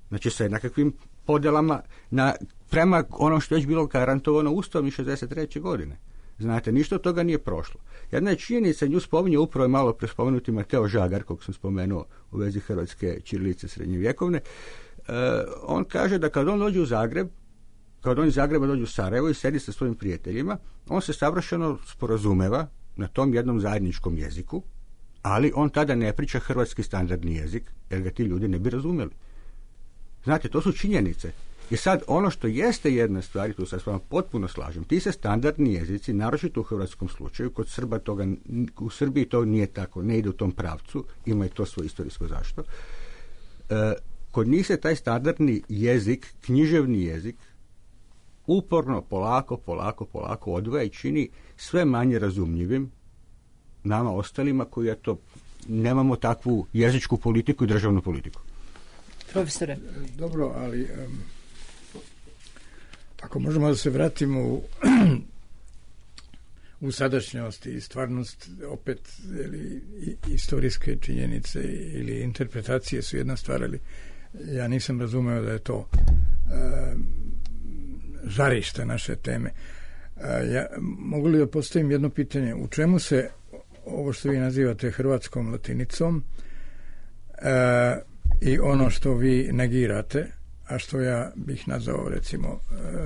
Znači sa nekakvim podelama na, prema ono što je već bilo garantovano Ustavom iz šezdeset treće. godine. Znate, ništa od toga nije prošlo. Jedna je činjenica, nju spominje upravo malo pre spomenuti Mateo Žagar, kog sam spomenuo u vezi hrvatske ćirilice srednjevjekovne. E, on kaže da kad on dođe u Zagreb, kad on iz Zagreba dođe u Sarajevo i sedi sa svojim prijateljima, on se savršeno sporazumeva na tom jednom zajedničkom jeziku, ali on tada ne priča hrvatski standardni jezik, jer ga ti ljudi ne bi razumjeli. Znate, to su činjenice. I sad, ono što jeste jedna stvar, i tu se s vama potpuno slažem, ti se standardni jezici, naročito u hrvatskom slučaju, kod Srba toga, u Srbiji to nije tako, ne ide u tom pravcu, ima i to svoje istorijsko zašto. E, kod njih se taj standardni jezik, književni jezik, uporno, polako, polako, polako odvaja i čini sve manje razumljivim nama ostalima koji, eto, nemamo takvu jezičku politiku i državnu politiku. Profesore. Dobro, ali um, ako možemo da se vratimo u, u sadašnjost i stvarnost, opet ili, istorijske činjenice ili interpretacije su jedna stvar, ali ja nisam razumeo da je to um, žarište naše teme. Uh, ja, mogu li da postavim jedno pitanje? U čemu se ovo što vi nazivate hrvatskom latinicom uh, i ono što vi negirate, a što ja bih nazvao recimo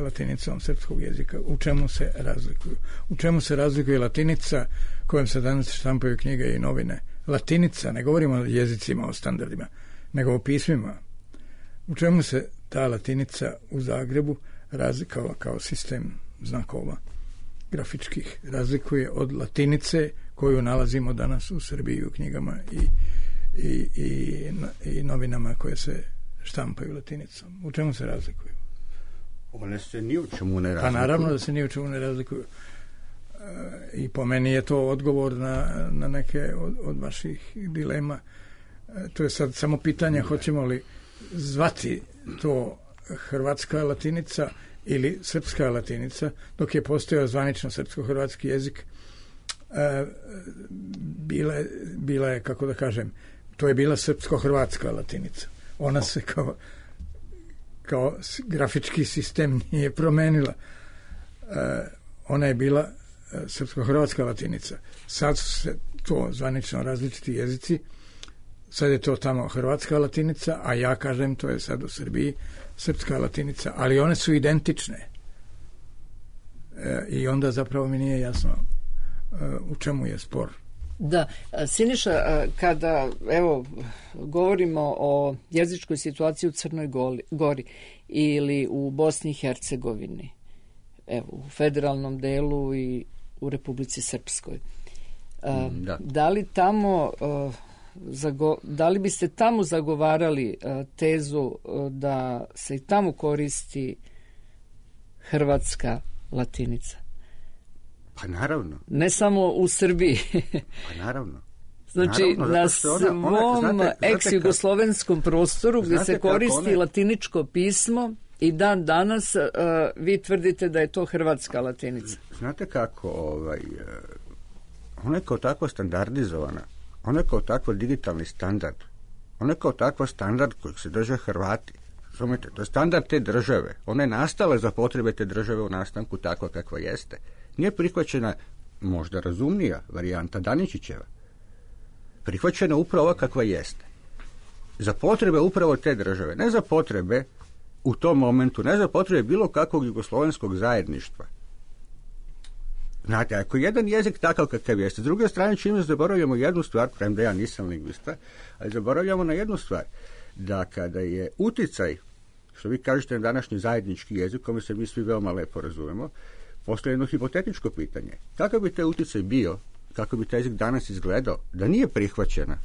latinicom srpskog jezika, u čemu se razlikuju? U čemu se razlikuje latinica kojom se danas štampaju knjige i novine? Latinica, ne govorimo o jezicima, o standardima, nego o pismima. U čemu se ta latinica u Zagrebu razlikovala kao sistem znakova grafičkih razlikuje od latinice koju nalazimo danas u Srbiji u knjigama i I, i, i novinama koje se štampaju latinicom. U čemu se razlikuju? One se ni u čemu ne razlikuju. Pa naravno da se ni u čemu ne razlikuju. E, I po meni je to odgovor na, na neke od, od vaših dilema. E, to je sad samo pitanje ne. Hoćemo li zvati to hrvatska latinica ili srpska latinica, dok je postojao zvanično srpsko-hrvatski jezik. E, bila, bila je, kako da kažem, to je bila srpsko-hrvatska latinica. Ona se kao, kao grafički sistem nije promenila. E, ona je bila srpsko-hrvatska latinica. Sad su se to zvanično različiti jezici. Sad je to tamo hrvatska latinica, a ja kažem to je sad u Srbiji srpska latinica. Ali one su identične. E, I onda zapravo mi nije jasno u čemu je spor. Da, Siniša, kada evo govorimo o jezičkoj situaciji u Crnoj Gori ili u Bosni i Hercegovini, evo u federalnom delu i u Republici Srpskoj, da, da li tamo zago, da li biste tamo zagovarali uh, tezu uh, da se i tamo koristi hrvatska latinica? Pa naravno. Ne samo u Srbiji. Pa naravno. Znači, naravno, na svom ona, ex-jugoslovenskom prostoru gdje se koristi one... latiničko pismo i dan danas uh, vi tvrdite da je to hrvatska latinica. Znate kako, ovaj, ona je kao takva standardizovana, ona je kao takva digitalni standard, ona je kao takva standard kojeg se drže Hrvati. Razumite, to je standard te države. Ona je nastala za potrebe te države u nastanku takva kakva jeste. Nije prihvaćena možda razumnija varijanta Daničićeva. Prihvaćena upravo kakva jeste. Za potrebe upravo te države, ne za potrebe u tom momentu, ne za potrebe bilo kakvog jugoslovenskog zajedništva. Znate, ako jedan jezik takav kakav jeste, s druge strane čime zaboravljamo jednu stvar, premda ja nisam lingvista, ali zaboravljamo na jednu stvar, da kada je uticaj, što vi kažete na današnji zajednički jezik, kome se mi svi veoma lepo razumemo, postoje jedno hipotetičko pitanje. Kakav bi taj uticaj bio, kako bi taj jezik danas izgledao, da nije prihvaćena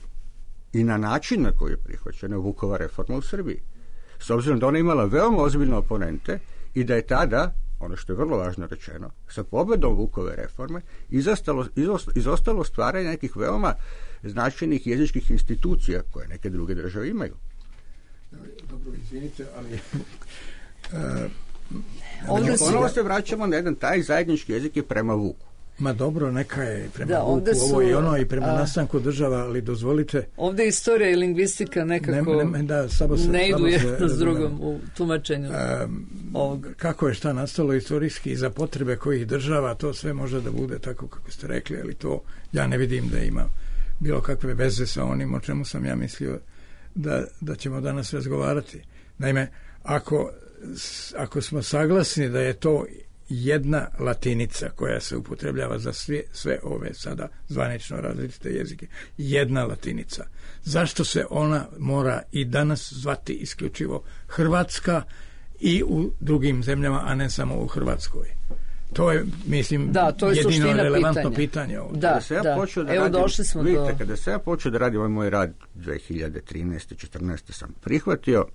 i na način na koji je prihvaćena Vukova reforma u Srbiji? S obzirom da ona imala veoma ozbiljne oponente i da je tada, ono što je vrlo važno rečeno, sa pobedom Vukove reforme izostalo, izostalo stvaranje nekih veoma značajnih jezičkih institucija koje neke druge države imaju. Dobro, izvinite, ali... uh, Ovdje ponovo se vraćamo na jedan taj zajednički jezik je prema Vuku. Ma dobro, neka je prema da, Vuku su, ovo i ono i prema a, nastanku država, ali dozvolite... Ovdje istorija i lingvistika nekako ne, ne, da, samo se, ne idu samo jedno s drugom u tumačenju um, ovog. Kako je šta nastalo istorijski i za potrebe kojih država, to sve može da bude tako kako ste rekli, ali to ja ne vidim da ima bilo kakve veze sa onim o čemu sam ja mislio da, da ćemo danas razgovarati. Naime, ako, ako smo saglasni da je to jedna latinica koja se upotrebljava za sve, sve ove sada zvanično različite jezike, jedna latinica, zašto se ona mora i danas zvati isključivo hrvatska i u drugim zemljama, a ne samo u Hrvatskoj? To je, mislim, da, to je jedino relevantno pitanja. pitanje ovdje. Da, kada se ja da. počeo da Evo radim, došli smo vidite, do... kada se ja počeo da radim ovaj moj rad dve hiljade trinaeste četrnaeste sam prihvatio,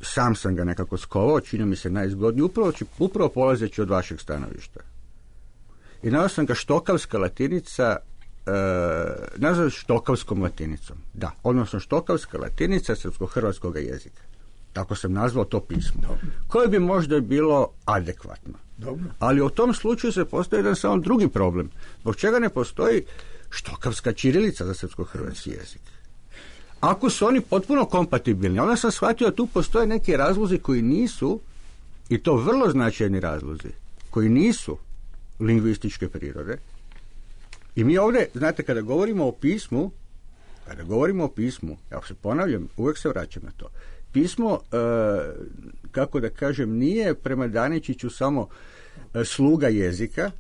sam sam ga nekako skovao, čini mi se najzgodniji, upravo, upravo polazeći od vašeg stanovišta. I nazvao sam ga štokavska latinica, e, nazvao štokavskom latinicom. Da, odnosno štokavska latinica srpsko-hrvatskog jezika. Tako sam nazvao to pismo. Dobro. Koje bi možda bilo adekvatno. Dobro. Ali u tom slučaju se postoji jedan samo drugi problem. Zbog čega ne postoji štokavska ćirilica za srpsko-hrvatski jezik? Ako su oni potpuno kompatibilni, onda sam shvatio da tu postoje neki razlozi koji nisu, i to vrlo značajni razlozi, koji nisu lingvističke prirode. I mi ovdje, znate, kada govorimo o pismu, kada govorimo o pismu, ja se ponavljam, uvijek se vraćam na to. Pismo, e, kako da kažem, nije prema Daničiću samo e, sluga jezika.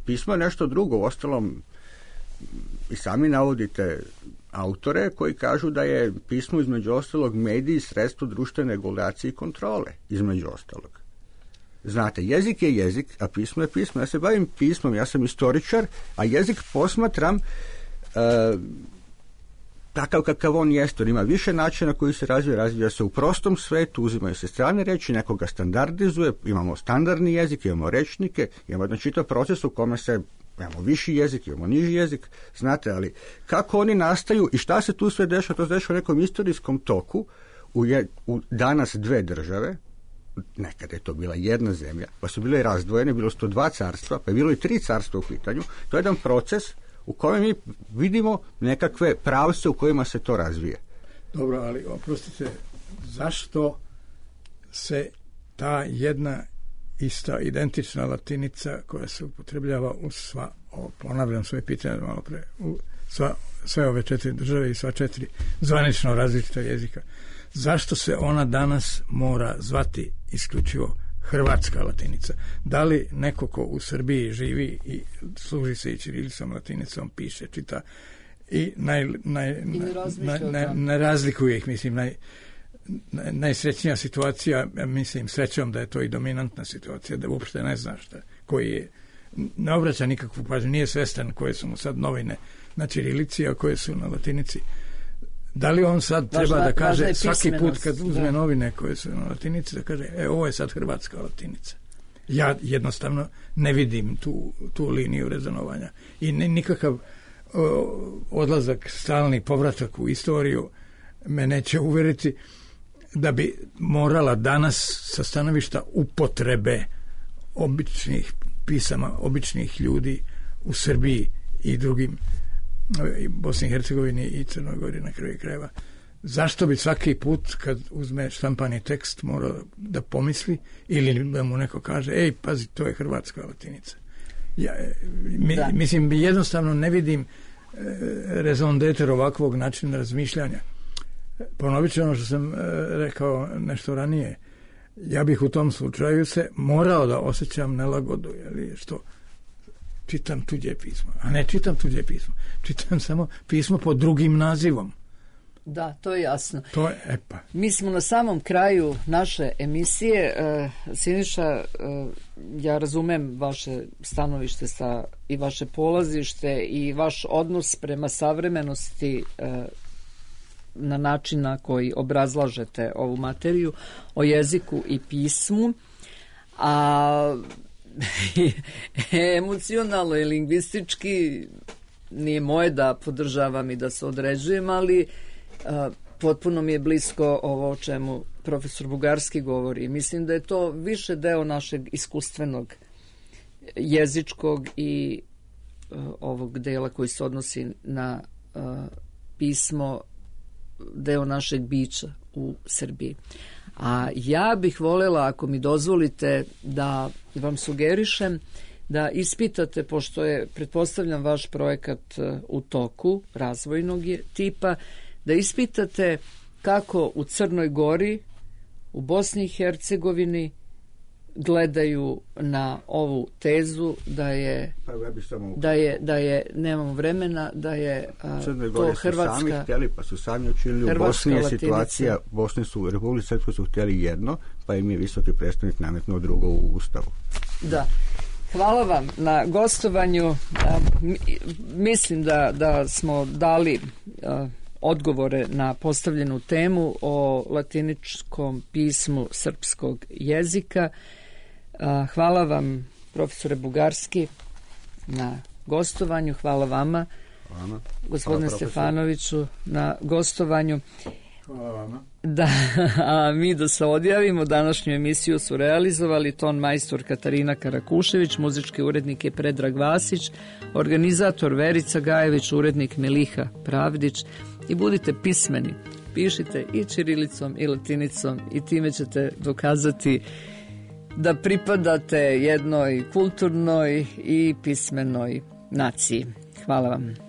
Pismo je nešto drugo. Uostalom, i sami navodite autore koji kažu da je pismo između ostalog medij i sredstvo društvene regulacije i kontrole, između ostalog. Znate, jezik je jezik, a pismo je pismo. Ja se bavim pismom, ja sam istoričar, a jezik posmatram e, takav kakav on jeste. On ima više načina koji se razvija, razvija se u prostom svetu, uzimaju se strane reči, nekoga standardizuje, imamo standardni jezik, imamo rečnike, imamo jedan čitav proces u kome se imamo viši jezik, imamo niži jezik, znate, ali kako oni nastaju i šta se tu sve dešava, to se dešava u nekom istorijskom toku u, je, u danas dve države, nekada je to bila jedna zemlja, pa su bile razdvojene, bilo su to dva carstva, pa je bilo i tri carstva u pitanju. To je jedan proces u kojem mi vidimo nekakve pravce u kojima se to razvije. Dobro, ali oprostite, zašto se ta jedna ista identična latinica koja se upotrebljava u sva, o, ponavljam svoje pitanje malo pre, u sva, sve ove četiri države i sva četiri zvanično različita jezika, zašto se ona danas mora zvati isključivo hrvatska latinica? Da li neko ko u Srbiji živi i služi se i ćirilicom, latinicom, piše, čita i naj, naj, I ne, naj, naj, ne razlikuje ih, mislim, naj, naj, najsrećnija situacija, mislim, srećom da je to i dominantna situacija, da uopšte ne zna šta, koji je ne obraća nikakvu pažnju, nije svestan koje su mu sad novine na ćirilici, a koje su na latinici. Da li on sad treba Važna, da kaže svaki put kad uzme da. novine koje su na latinici, da kaže, e, ovo je sad hrvatska latinica. Ja jednostavno ne vidim tu, tu liniju rezonovanja. I ne, nikakav o, odlazak, stalni povratak u istoriju me neće uveriti da bi morala danas sa stanovišta upotrebe običnih pisama, običnih ljudi u Srbiji i drugim, i Bosni i Hercegovini i Crnoj Gori na kraju krajeva. Zašto bi svaki put kad uzme štampani tekst morao da pomisli ili da mu neko kaže, ej, pazi, to je hrvatska latinica. Ja, mi, mislim, jednostavno ne vidim e, raison d'etre ovakvog načina razmišljanja. Ponovit ću ono što sam e, rekao nešto ranije. Ja bih u tom slučaju se morao da osjećam nelagodu, jer što čitam tuđe pismo, a ne čitam tuđe pismo. Čitam samo pismo pod drugim nazivom. Da, to je jasno. To je, epa. Mi smo na samom kraju naše emisije. E, Siniša, e, ja razumem vaše stanovište sa, i vaše polazište i vaš odnos prema savremenosti e, na način na koji obrazlažete ovu materiju o jeziku i pismu, a emocionalno i lingvistički nije moje da podržavam i da se određujem, ali a, potpuno mi je blisko ovo o čemu profesor Bugarski govori. Mislim da je to više deo našeg iskustvenog jezičkog i a, ovog dela koji se odnosi na a, pismo, deo našeg bića u Srbiji. A ja bih voljela, ako mi dozvolite, da vam sugerišem da ispitate, pošto je, pretpostavljam, vaš projekat u toku, razvojnog je tipa, da ispitate kako u Crnoj Gori, u Bosni i Hercegovini gledaju na ovu tezu da je, pa ja bi samo... da je, da je, nemamo vremena, da je a, Crnoj to Gori Hrvatska... su sami htjeli, pa su sami učinili. U Bosni je situacija, Bosni su, u Republici Srpskoj su htjeli jedno, pa im je visoki predstavnik nametnuo drugo u Ustavu. Da. Hvala vam na gostovanju. A, mi, mislim da, da smo dali a, odgovore na postavljenu temu o latiničkom pismu srpskog jezika. A, hvala vam, profesore Bugarski, na gostovanju. Hvala vama, Hvala. gospodine Hvala, Stefanoviću, na gostovanju. Hvala vama. Da, a mi da se odjavimo, današnju emisiju su realizovali ton majstor Katarina Karakušević, muzički urednik je Predrag Vasić, organizator Verica Gajević, urednik Meliha Pravdić. I budite pismeni, pišite i ćirilicom i latinicom i time ćete dokazati da pripadate jednoj kulturnoj i pismenoj naciji. Hvala vam.